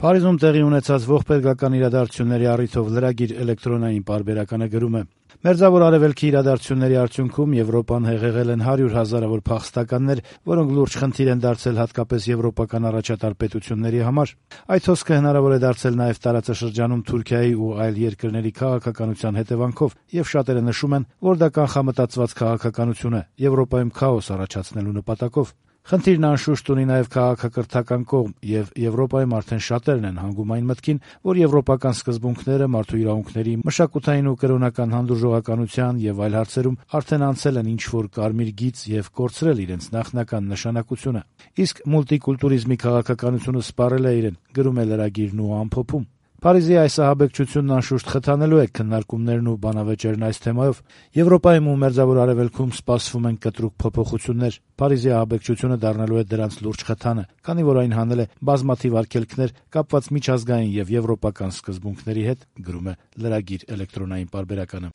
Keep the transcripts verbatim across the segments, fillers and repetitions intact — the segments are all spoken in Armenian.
Փարիզում տեղի ունեցած ողբերգական իրադարձությունների առիթով լրագիր էլեկտրոնային պարբերականը գրում է. «Մերձավոր Արևելքի իրադարձությունների արդյունքում Եվրոպան հեղեղել են հարյուր հազարավոր փախստականներ, որոնք լուրջ խնդիր են դարձել հատկապես եվրոպական առաջատար պետությունների համար։ Այդ հոսքը հնարավոր է դարձել նաև տարածաշրջանում Թուրքիայի ու այլ երկրների քաղաքականության հետևանքով, եւ շատերը նշում են, որ դա կանխամտածված քաղաքականություն է, Եվրոպայում քաոս առաջացնելու նպատակով։ Խնդիրն անշուշտ ունի նաև քաղաքակրթական կողմ, եւ Եվրոպայում արդեն շատերն են հանգում այն մտքին, որ եվրոպական սկզբունքները մարդու իրավունքների, մշակութային ու կրոնական հանդուրժողականության եւ այլ հարցերում արդեն անցել են ինչ-որ կարմիր գիծ եւ կորցրել իրենց նախնական նշանակությունը։ Իսկ մուլտիկուլտուրիզմի քաղաքականությունը սպառել է իրեն», գրում է լրագիրն ու ամփոփում. «Փարիզի այս ահաբեկչությունն անշուշտ խթանելու է քննարկումներն ու բանավեճերն այս թեմայով։ Եվրոպայում ու Մերձավոր Արևելքում սպասվում են կտրուկ փոփոխություններ։ Փարիզի ահաբեկչությունը դառնալու է դրանց լուրջ խթանը, քանի որ այն հանել է բազմաթիվ արգելքներ կապված միջազգային եւ եվրոպական սկզբունքների հետ», գրում է լրագիր էլեկտրոնային պարբերականը։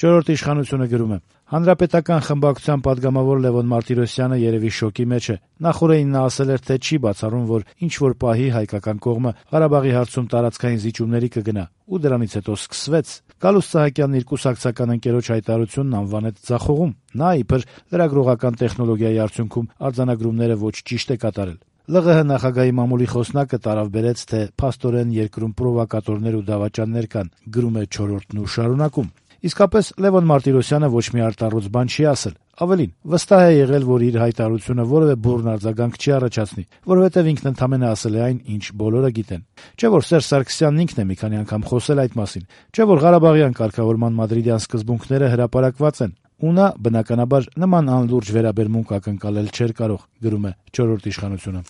«Չորրորդ իշխանությունը» գրում է. «Հանրապետական խմբակցության պատգամավոր Լևոն Մարտիրոսյանը երևի շոկի մեջ է։ Նախորդին նա ասել էր, թե չի բացառում, որ ինչ-որ պահի հայկական կողմը Ղարաբաղի հարցում տարածքային զիջումների կգնա, ու դրանից հետո սկսվեց։ Գալուստ Սահակյանն իր կուսակցական ընկերոջ հայտարարությունն անվանեց ձախողում։ Նա, իբր լրագրողական տեխնոլոգիայի արդյունքում արձանագրումները ոչ ճիշտ է կատարել։ ԼՂՀ նախագահի մամուլի խոսնակը տարավ-բերեց, թե փաստորեն երկրում պրովոկատորներ ու դավաճաններ կան», գրում է «Չորրորդն» ու շարունակում. «Իսկապես Լևոն Մարտիրոսյանը ոչ մի արտառոց բան չի ասել։ Ավելին, վստահ է եղել, որ իր հայտարարությունը որևէ բուռն արձագանք չի առաջացնի, որովհետև ինքն ընդամենը ասել է այն, ինչ բոլորը գիտեն։ Չէ՞ որ Սերժ Սարգսյանն ինքն է մի քանի անգամ խոսել այդ մասին։ Չէ՞ որ Ղարաբաղյան կարգավորման մադրիդյան սկզբունքները հրապարակված են։ Ու նա, բնականաբար, նման անլուրջ վերաբերմունք ակնկալել չէր կարող», գրում է «Չորրորդ իշխանությունը»։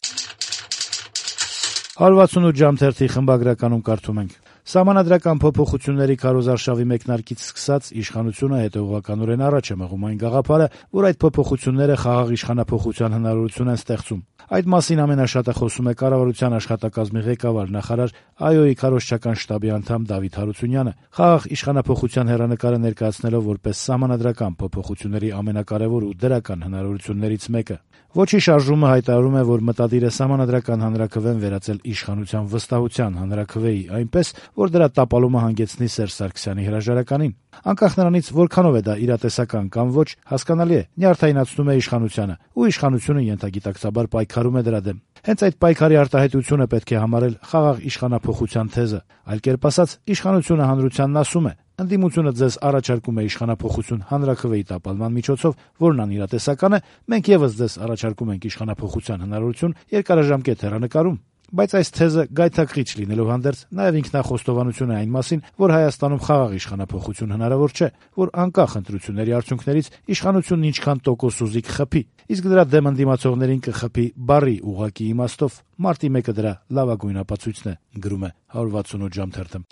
հարյուր վաթսունութ ժամ թերթի խմբագրականում կարդում ենք. «Սահմանադրական փոփոխությունների քարոզարշավի մեկնարկից սկսած իշխանությունը հետևողականորեն առաջ է մղում այն գաղափարը, որ այդ փոփոխությունները խաղաղ իշխանափոխության հնարավորություն են ստեղծում։ Այդ մասին ամենաշատը խոսում է կառավարության աշխատակազմի ղեկավար նախարար ԱՅՈ-ի քարոզչական շտաբի անդամ Դավիթ Հարությունյանը, խաղաղ իշխանափոխության հեռանկարը ներկայացնելով որպես սահմանադրական փոփոխությունների ամենակարևոր ու դրական հնարավորություններից մեկը։ Ոչի շարժումը հայտարարում է, որ մտադիր է սահմանադրական հանրաքվեն վերածել իշխանության վստահության հանրաքվեի, այնպես, որ դրա տապալումը հանգեցնի Սերժ Սարգսյանի հրաժարականին։ Անկախ նրանից, որքանով է դա իրատեսական կամ ոչ, հասկանալի է, նյարդայնացնում է իշխանությանը, ու իշխանությունը ենթագիտակցաբար պայքարում է դրա դեմ։ Հենց այդ պայքարի արտահայտությունը պետք է համարել խաղաղ իշխանափոխության թեզը։ Այլ կերպ ասած, իշխանությունը հանրությանն ասում է. ընդդիմությունը ձեզ առաջարկում է իշխանափոխություն հանրաքվեի տապալման միջոցով, որն անիրատեսական է, մենք եւս ձեզ առաջարկում ենք իշխանափոխության հնարավորություն երկարաժամկետ հեռանկարում։ Բայց այս թեզը գայթակղիչ լինելով հանդերձ նաև ինքնախոստովանություն է այն մասին, որ Հայաստանում խաղաղ իշխանափոխություն հնարավոր չէ, որ անկախ ընտրությունների արդյունքներից իշխանությունն ինչքան տոկոս ուզի կխփի, իսկ դրա դեմ ընդդիմացողներին կխփի բառի ուղղակի իմաստով։ Մարտի մեկը դրա լավագույն ապացույցն է, գրում է հարյուր վաթսունութ ժամ թերթը։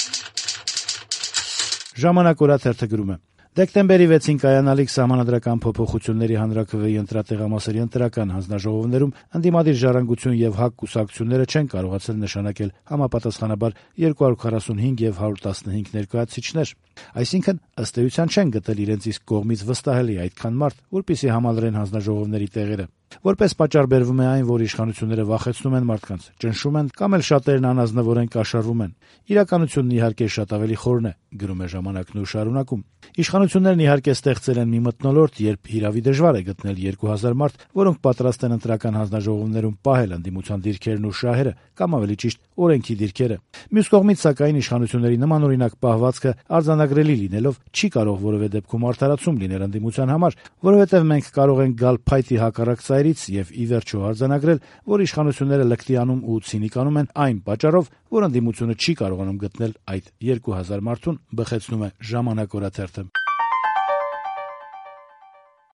«Ժամանակ» օրաթերթը գրում է. Դեկտեմբերի վեցին կայանալիք սահմանադրական փոփոխությունների հանրաքվեի ընտրատեղամասերի ընտրական հանձնաժողովներում ընդդիմադիր ժառանգություն եւ ՀԱԿ կուսակցությունները չեն կարողացել նշանակել համապատասխանաբար երկու հարյուր քառասունհինգ եւ հարյուր տասնհինգ ներկայացուցիչներ։ Այսինքն, ըստ էության չեն գտել իրենց իսկ կողմից վստահելի այդքան մարդ, որպեսզի համալրեն հանձնաժողովների տեղերը։ Որպես պատճառ բերվում է այն, որ իշխանությունները վախեցնում են մարդկանց, ճնշում են կամ էլ շատերն անազնվորեն կաշառվում են։ Իրականությունն իհարկե շատ ավելի խորն է, գրում է «Ժամանակն» ու շարունակում. Իշխանություններն իհարկե ստեղծել են մի մթնոլորտ, երբ հիրավի դժվար է գտնել երկու հազար մարդ, որոնք պատրաստ են ընտրական հանձնաժողովներում պահել ընդդիմության դիրքերն ու շահերը, կամ ավելի ճիշտ օրենքի դիրքերը։ Մյուս կողմից, սակայն, իշխանությունների նմանօրինակ պահվածքը արձանագրելի լինելով չի կարող որևէ դեպքում արդարացում լինել ընդդիմության համար, որովհետև մենք կարող ենք գալ փայտի հակառակ ծայրից եւ ի վերջո արձանագրել, որ իշխանությունները լկտի անում ու ցինիկանում են այն պատճառով, որ ընդդիմությունը չի կարողանում գտնել այդ երկու հազար մարդուն, բխեցնում է «Ժամանակ» օրաթերթը։